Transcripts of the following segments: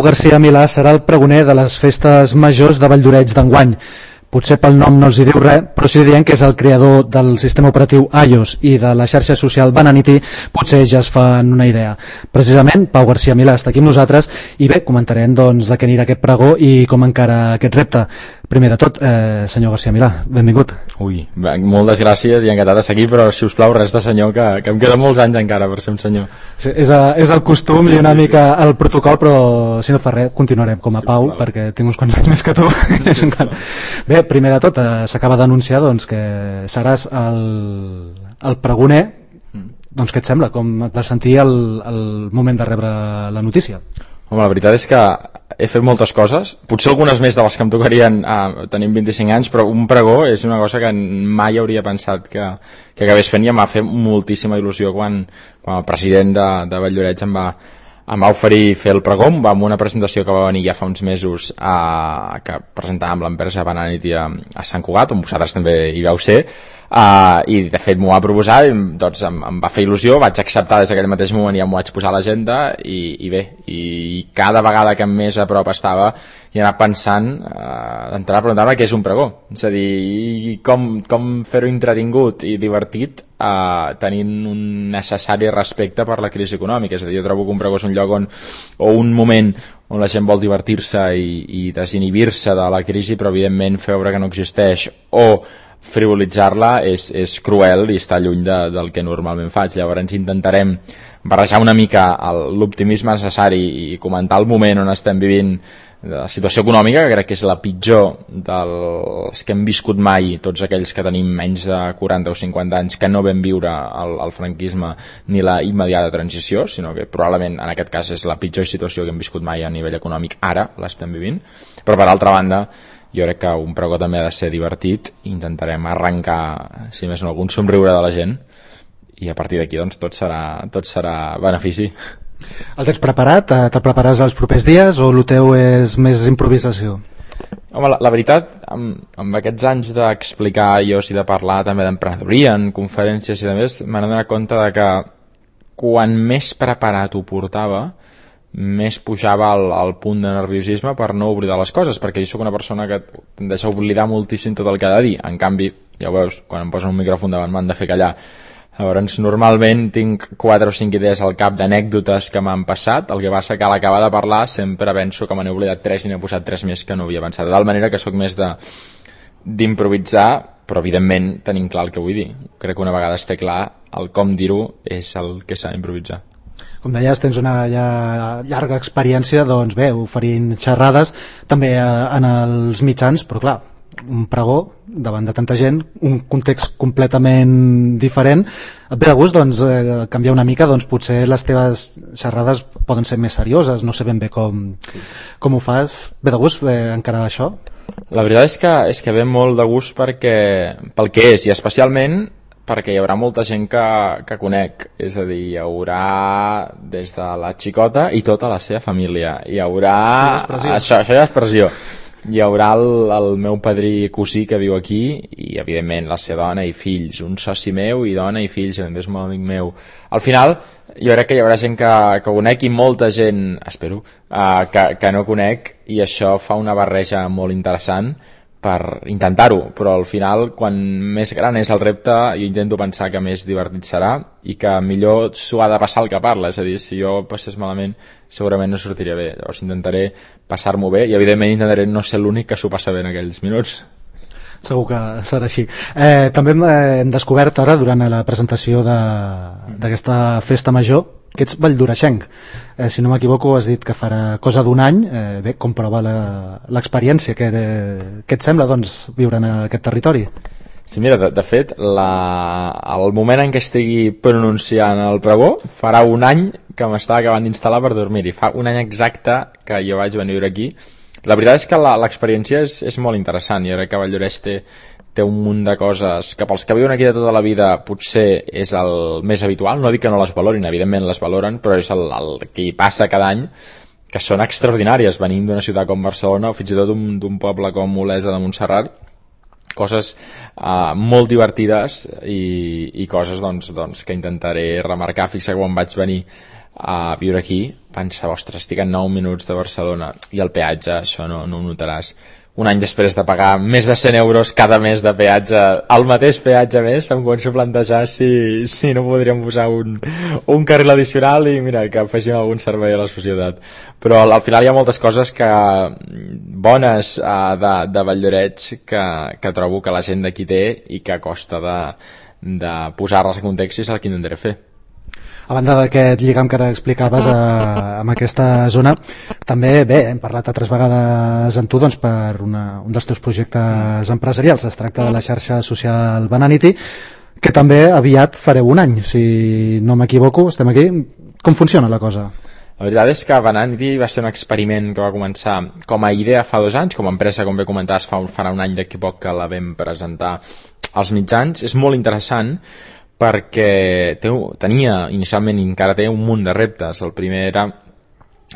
Pau Garcia Milà serà el pregoner de les festes majors de Valldoreix d'enguany. Potser pel nom no els hi diu res, però si diem que és el creador del sistema operatiu iOS i de la xarxa social Bananity, potser ja es fan una idea. Precisament, Pau Garcia Milà està aquí amb nosaltres i bé, comentarem doncs, de què anirà aquest pregó i com encara aquest repte. Primer de tot, senyor Garcia Milà, benvingut. Ui, moltes gràcies i encantat d'estar aquí, però si us plau res de senyor, que em queden molts anys encara per ser un senyor. Sí, és el costum i una mica el protocol, però si no fa res, continuarem com a Pau, perquè tinc uns quants anys més que tu. Bé, primer de tot, s'acaba d'anunciar doncs, que seràs el pregoner. Doncs què et sembla? Com et vas sentir el moment de rebre la notícia? Home, la veritat és que he fet moltes coses, potser algunes més de les que em tocarien tenint 25 anys, però un pregó és una cosa que mai hauria pensat que acabés fent, i em va fer moltíssima il·lusió quan el president de Valldoreix em va oferir fer el pregó amb una presentació que va venir ja fa uns mesos que presentàvem l'empresa Bananity a Sant Cugat, on vosaltres també hi vau ser, i de fet m'ho va proposar, doncs em va fer il·lusió, vaig acceptar des d'aquell mateix moment, ja m'ho vaig posar a l'agenda i bé, i cada vegada que més a prop estava i anar pensant, d'entrar a preguntar-me què és un pregó, és a dir, com fer-ho entretingut i divertit tenint un necessari respecte per la crisi econòmica. És a dir, jo trobo que un pregó és un lloc o un moment on la gent vol divertir-se i desinhibir-se de la crisi, però evidentment fer veure que no existeix o frivolitzar-la és cruel i està lluny del que normalment faig. Llavors intentarem barrejar una mica l'optimisme necessari i comentar el moment on estem vivint, de la situació econòmica, que crec que és la pitjor dels que hem viscut mai, tots aquells que tenim menys de 40 o 50 anys, que no vam viure el franquisme ni la immediata transició, sinó que probablement en aquest cas és la pitjor situació que hem viscut mai a nivell econòmic. Ara l'estem vivint, però per altra banda jo crec que un pregó també ha de ser divertit. Intentarem arrencar, si més no, algun somriure de la gent, i a partir d'aquí doncs tot serà benefici. El tens preparat? Te'l preparàs els propers dies o el teu és més improvisació? Home, la veritat, amb aquests anys d'explicar iOS i de parlar també d'emprenedoria en conferències i de més, m'he donat compte de que quan més preparat ho portava, més pujava el punt de nerviosisme per no oblidar les coses, perquè jo sóc una persona que tendeix a oblidar moltíssim tot el que ha de dir. En canvi, ja ho veus, quan em posen un micròfon davant m'han de fer callar. Llavors, normalment tinc 4 o 5 idees al cap d'anècdotes que m'han passat, el que passa que a l'acabar de parlar sempre penso que me n'he oblidat 3 i n'he posat 3 més que no havia pensat, de tal manera que sóc més d'improvisar, però evidentment tenint clar el que vull dir. Crec que una vegada es té clar el com dir-ho és el que s'ha d'improvisar. Com deies, tens una llarga experiència, doncs bé, oferint xerrades també en els mitjans, però clar, un pregó davant de tanta gent, un context completament diferent. Et ve de gust doncs, canviar una mica, doncs potser les teves xerrades poden ser més serioses, no sé ben bé com ho fas. Ve de gust encarar això? La veritat és que ve molt de gust pel que és, i especialment perquè hi haurà molta gent que conec, és a dir, hi haurà des de la xicota i tota la seva família, hi haurà això ja és expressió. Hi haurà el meu padrí cosí que viu aquí i evidentment la seva dona i fills, un soci meu i dona i fills, i també és molt amic meu. Al final jo crec que hi haurà gent que conec i molta gent, espero, que no conec, i això fa una barreja molt interessant per intentar-ho, però al final quan més gran és el repte jo intento pensar que més divertit serà i que millor s'ho ha de passar el que parla, és a dir, si jo passés malament segurament no sortiria bé. Llavors intentaré passar-m'ho bé i evidentment intentaré no ser l'únic que s'ho passa bé en aquells minuts. Segur que serà així. També hem descobert ara durant la presentació d'aquesta festa major que ets valldoreixenc. Si no m'equivoco has dit que farà cosa d'un any. Bé, com prova l'experiència? Què et sembla doncs, viure en aquest territori? Sí, mira, de fet el moment en què estigui pronunciant el pregó farà un any que m'estava acabant d'instal·lar per dormir-hi. Fa un any exacte que jo vaig venir a viure aquí. La veritat és que l'experiència és molt interessant. Jo crec que Valldoreix té un munt de coses que pels que viuen aquí de tota la vida potser és el més habitual. No dic que no les valorin, evidentment les valoren, però és el que hi passa cada any, que són extraordinàries, venint d'una ciutat com Barcelona o fins i tot d'un poble com Olesa de Montserrat. Coses molt divertides i coses doncs, que intentaré remarcar. Fixa que quan vaig venir a viure aquí, pensava, ostres, estic a 9 minuts de Barcelona i el peatge, això no ho notaràs. Un any després de pagar més de 100 euros cada mes de peatge, el mateix peatge més, em començo a plantejar si no podríem posar un carril addicional i mira, que afegim algun servei a la societat. Però al final hi ha moltes coses bones de Valldoreix que trobo que la gent d'aquí té i que costa de posar-les en context i és el que intentaré fer. A banda d'aquest lligam que ara explicaves amb aquesta zona, també hem parlat altres vegades amb tu doncs, per un dels teus projectes empresarials. Es tracta de la xarxa social Bananity, que també aviat fareu un any, si no m'equivoco, estem aquí. Com funciona la cosa? La veritat és que Bananity va ser un experiment que va començar com a idea fa 2 anys, com a empresa, com bé comentaves, farà un any d'aquí poc que la vam presentar als mitjans. És molt interessant perquè tenia inicialment i encara té un munt de reptes. El primer era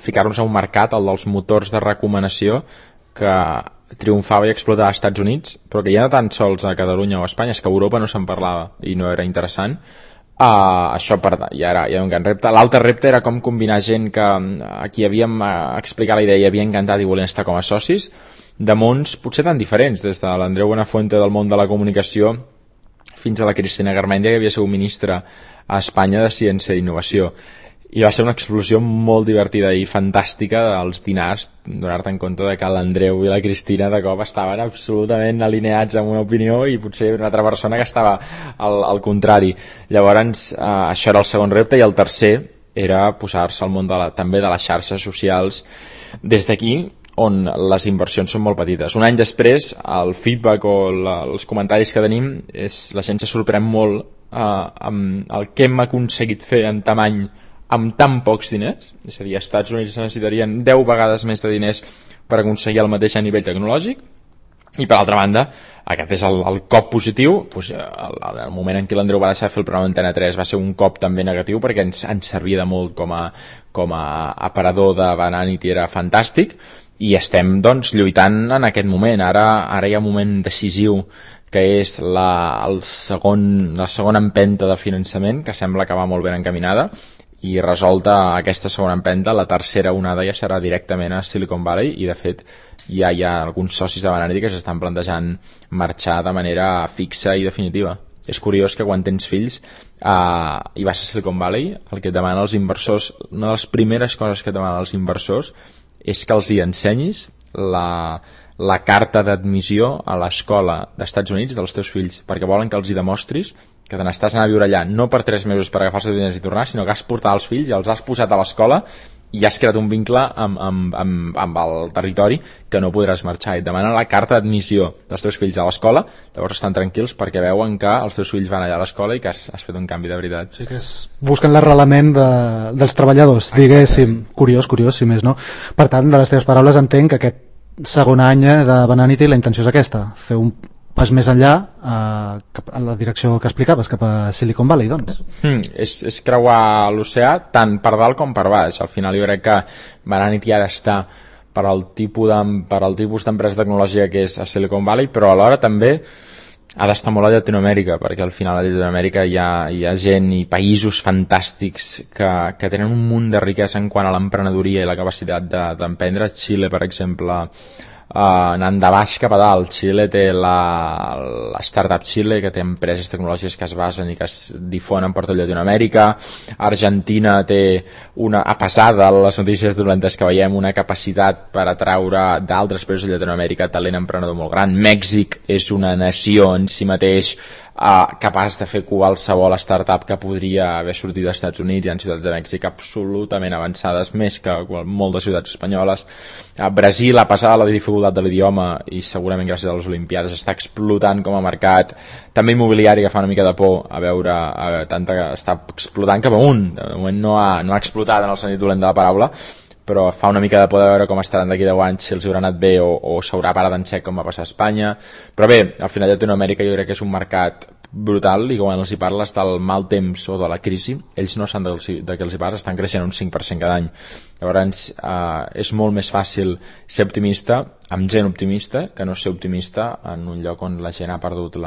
ficar-nos a un mercat, el dels motors de recomanació, que triomfava i explotava als Estats Units, però que ja no tan sols a Catalunya o a Espanya, és que a Europa no se'n parlava i no era interessant. Això ja era un gran repte. L'altre repte era com combinar gent que aquí havíem explicat la idea i havia encantat i volien estar com a socis, de mons potser tan diferents, des de l'Andreu Buenafuente del món de la comunicació fins a la Cristina Garmendia, que havia sigut ministra a Espanya de Ciència i Innovació. I va ser una explosió molt divertida i fantàstica dels dinars, donar-te en compte de que l'Andreu i la Cristina de cop estaven absolutament alineats amb una opinió i potser una altra persona que estava al contrari. Llavors, això era el segon repte, i el tercer era posar-se al món també de les xarxes socials des d'aquí, on les inversions són molt petites. Un any després, el feedback o els comentaris que tenim la gent se sorprèn molt amb el que hem aconseguit fer en tamany amb tan pocs diners. És a dir, als Estats Units necessitarien 10 vegades més de diners per aconseguir el mateix a nivell tecnològic. I per altra banda, aquest és el cop positiu. Doncs, el moment en què l'Andreu va deixar de fer el programa Antena 3 va ser un cop també negatiu, perquè ens servia de molt com a aparador de Bananity, era fantàstic. I estem doncs lluitant en aquest moment. Ara hi ha un moment decisiu que és la segona empenta de finançament, que sembla que va molt ben encaminada, i resolta aquesta segona empenta, la tercera onada ja serà directament a Silicon Valley, i de fet ja hi ha alguns socis de Bananity que s'estan plantejant marxar de manera fixa i definitiva. És curiós que quan tens fills i vas a Silicon Valley, el que et demanen els inversors, una de les primeres coses que et demanen els inversors és que els hi ensenyis la carta d'admissió a l'escola d'Estats Units dels teus fills, perquè volen que els hi demostris que te n'estàs anar a viure allà no per 3 mesos per agafar els teus diners i tornar, sinó que has portat els fills i els has posat a l'escola i has creat un vincle amb el territori que no podràs marxar. I et demanen la carta d'admissió dels teus fills a l'escola, llavors estan tranquils perquè veuen que els teus fills van allà a l'escola i que has fet un canvi de veritat. Sí, que busquen l'arrelament dels treballadors, diguéssim. Curiós, si més no. Per tant, de les teves paraules entenc que aquest segon any de Bananity la intenció és aquesta, fer un pas més enllà en la direcció que explicaves, cap a Silicon Valley, doncs. És creuar l'oceà tant per dalt com per baix. Al final jo crec que Bananity ha d'estar per al tipus d'empresa tecnològica que és a Silicon Valley, però alhora també ha d'estar molt a Llatinoamèrica, perquè al final a Llatinoamèrica hi ha gent i països fantàstics que tenen un munt de riquesa en quant a l'emprenedoria i la capacitat d'emprendre. Xile, per exemple, anant de baix cap a dalt. Xile té la Startup Xile, que té empreses tecnològiques que es basen i que es difonen per tot Llatinoamèrica. Argentina té a pesar de les notícies dolentes que veiem, una capacitat per atraure d'altres països de Llatinoamèrica talent emprenedor molt gran. Mèxic és una nació en si mateix capaç de fer qualsevol startup que podria haver sortit dels Estats Units. Hi ha ciutats de Mèxic absolutament avançades, més que moltes ciutats espanyoles. Brasil, a pesar de la dificultat de l'idioma i segurament gràcies a les Olimpiades, està explotant com a mercat. També immobiliari, que fa una mica de por a veure està explotant cap amunt. De moment no ha explotat en el sentit dolent de la paraula, però fa una mica de por de veure com estaran d'aquí 10 anys, si els haurà anat bé o s'haurà parat en sec com va passar a Espanya. Però bé, al final Llatinoamèrica jo crec que és un mercat brutal, i quan els hi parles del mal temps o de la crisi, ells no saben de què els hi parles, estan creixent un 5% cada any. Llavors és molt més fàcil ser optimista amb gent optimista que no ser optimista en un lloc on la gent ha perdut no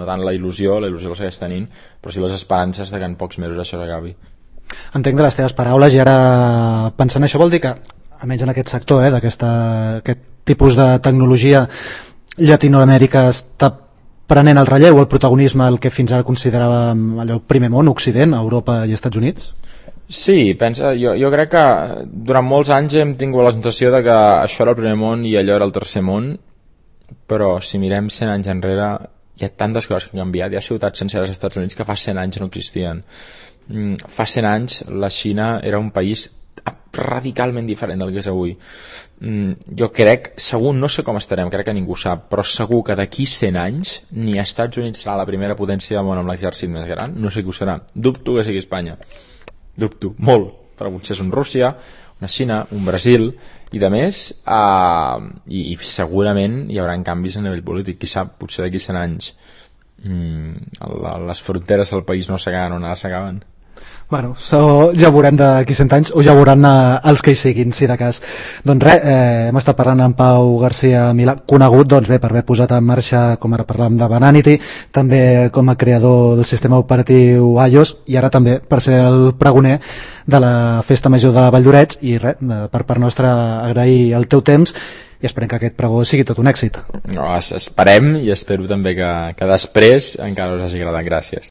tant la il·lusió la segueix tenint, però sí les esperances de que en pocs mesos això s'acabi. Entenc de les teves paraules, i ara pensant això vol dir que, almenys en aquest sector, d'aquest tipus de tecnologia, Llatinoamèrica està prenent el relleu, el protagonisme, el que fins ara consideràvem allò primer món, Occident, Europa i Estats Units? Sí, jo crec que durant molts anys hem tingut la sensació de que això era el primer món i allò era el tercer món, però si mirem 100 anys enrere hi ha tantes coses que han canviat, hi ha ciutats senceres als Estats Units que fa 100 anys no existien. Fa 100 anys la Xina era un país radicalment diferent del que és avui. Jo crec, segur, no sé com estarem, crec que ningú sap, però segur que d'aquí 100 anys ni Estats Units serà la primera potència del món amb l'exèrcit més gran, no sé qui ho serà, dubto que sigui Espanya, dubto, molt, però potser és un Rússia, una Xina, un Brasil i de més, i segurament hi haurà canvis a nivell polític, qui sap, potser d'aquí 100 anys les fronteres del país no s'acaben on ara s'acaben. Bueno, ja ho veurem d'aquí 100 anys, o ja ho veuran els que hi siguin, si de cas. Doncs res, hem estat parlant amb Pau García Milà, conegut doncs bé per haver posat en marxa, com ara parlàvem de Bananity, també com a creador del sistema operatiu iOS, i ara també per ser el pregoner de la Festa Major de Valldoreix, i res, per part nostra agrair el teu temps i esperem que aquest pregó sigui tot un èxit. No, esperem, i espero també que després encara us hagi agradat. Gràcies.